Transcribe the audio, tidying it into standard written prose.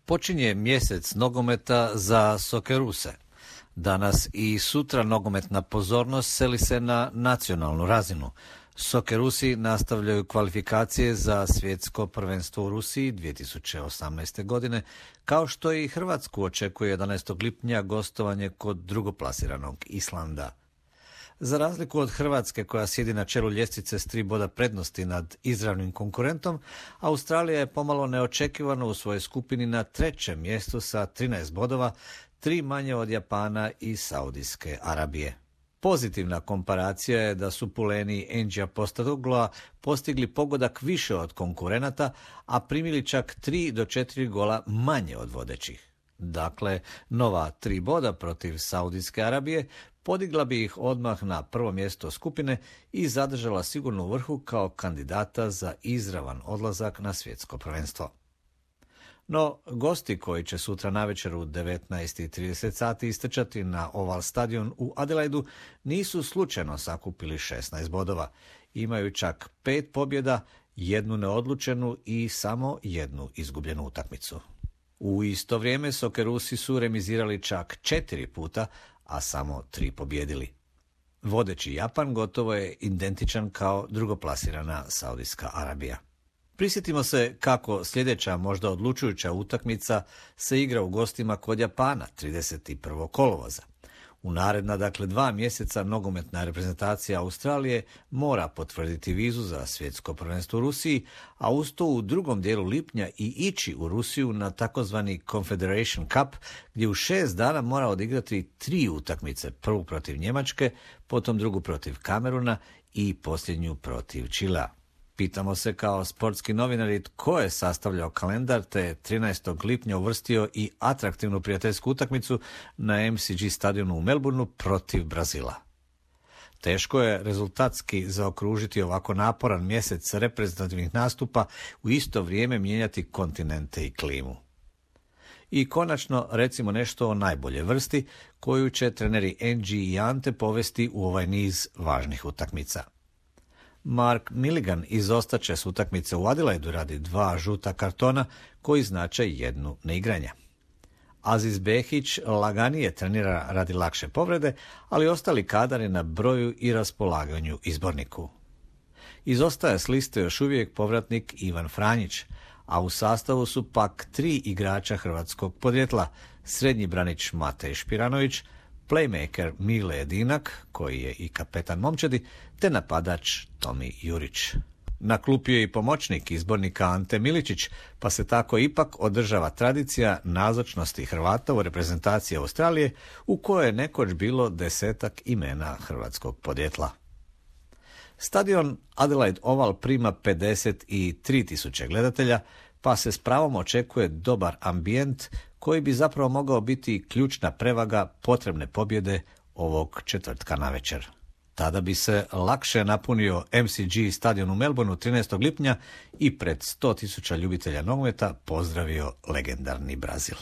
Počinje mjesec nogometa za Sokeruse. Danas i sutra nogometna pozornost seli se na nacionalnu razinu. Sokerusi nastavljaju kvalifikacije za svjetsko prvenstvo u Rusiji 2018. godine, kao što i Hrvatsku očekuje 11. lipnja gostovanje kod drugoplasiranog Islanda. Za razliku od Hrvatske, koja sjedi na čelu ljestvice s 3 boda prednosti nad izravnim konkurentom, Australija je pomalo neočekivano u svojoj skupini na 3. mjestu sa 13 bodova, 3 manje od Japana i Saudijske Arabije. Pozitivna komparacija je da su Puleni Enđija Postadogloa postigli pogodak više od konkurenata, a primili čak 3 do 4 gola manje od vodećih. Dakle, nova 3 boda protiv Saudijske Arabije podigla bi ih odmah na prvo mjesto skupine i zadržala sigurno u vrhu kao kandidata za izravan odlazak na svjetsko prvenstvo. No, gosti koji će sutra navečer u 19:30 sati istrčati na Oval stadion u Adelaidu nisu slučajno sakupili 16 bodova. Imaju čak 5 pobjeda, 1 neodlučenu i samo 1 izgubljenu utakmicu. U isto vrijeme Sokerusi su remizirali čak 4 puta, a samo 3 pobjedili. Vodeći Japan gotovo je identičan kao drugoplasirana Saudijska Arabija. Prisjetimo se kako sljedeća, možda odlučujuća utakmica se igra u gostima kod Japana 31. kolovoza. U naredna, 2 mjeseca nogometna reprezentacija Australije mora potvrditi vizu za svjetsko prvenstvo u Rusiji, a uz to u drugom dijelu lipnja i ići u Rusiju na takozvani Confederation Cup, gdje u 6 dana mora odigrati 3 utakmice, prvu protiv Njemačke, potom drugu protiv Kameruna i posljednju protiv Čilea. Pitamo se kao sportski novinari tko je sastavljao kalendar te 13. lipnja uvrstio i atraktivnu prijateljsku utakmicu na MCG stadionu u Melbourneu protiv Brazila. Teško je rezultatski zaokružiti ovako naporan mjesec reprezentativnih nastupa, u isto vrijeme mijenjati kontinente i klimu. I konačno recimo nešto o najbolje vrsti koju će treneri Angie i Ante povesti u ovaj niz važnih utakmica. Mark Milligan izostaće s utakmice u Adelaidu radi 2 žuta kartona koji znače 1 neigranja. Aziz Behić laganije trenira radi lakše povrede, ali ostali kadar je na broju i raspolaganju izborniku. Izostaje s liste još uvijek povratnik Ivan Franjić, a u sastavu su pak 3 igrača hrvatskog podrijetla, srednji branič Matej Špiranović, playmaker Mile Edinak, koji je i kapetan momčadi, te napadač Tomi Jurić. Na klupi je i pomoćnik izbornika Ante Miličić, pa se tako ipak održava tradicija nazočnosti Hrvata u reprezentaciji Australije, u kojoj je nekoć bilo 10 imena hrvatskog podrijetla. Stadion Adelaide Oval prima 53.000 gledatelja, pa se s pravom očekuje dobar ambijent koji bi zapravo mogao biti ključna prevaga potrebne pobjede ovog četvrtka navečer. Tada bi se lakše napunio MCG stadion u Melbourneu 13. lipnja i pred 100.000 ljubitelja nogometa pozdravio legendarni Brazil.